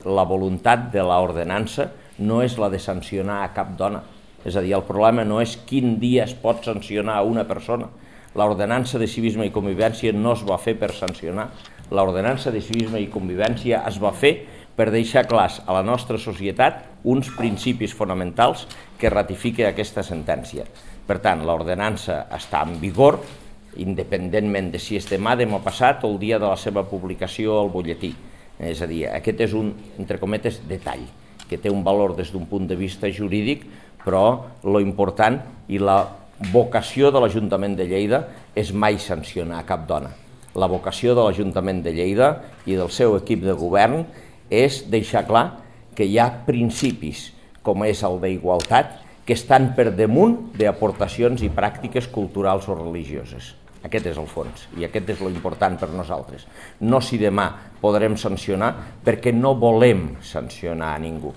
la voluntat de l'ordenança no és la de sancionar a cap dona. És a dir, el problema no és quin dia es pot sancionar a una persona. L'ordenança de civisme i convivència no es va fer per sancionar. L'ordenança de civisme i convivència es va fer per deixar clars a la nostra societat uns principis fonamentals que ratifiquen aquesta sentència. Per tant, l'ordenança està en vigor, independentment de si és demà, demà passat o el dia de la seva publicació al butlletí. És a dir, aquest és un, entre cometes, detall, que té un valor des d'un punt de vista jurídic, però lo important i la vocació de l'Ajuntament de Lleida és mai sancionar cap dona. La vocació de l'Ajuntament de Lleida i del seu equip de govern és deixar clar que hi ha principis, com és el d'igualtat, que estan per damunt d'aportacions i pràctiques culturals o religioses. Aquest és el fons i aquest és l'important per nosaltres. No si demà podrem sancionar, perquè no volem sancionar a ningú.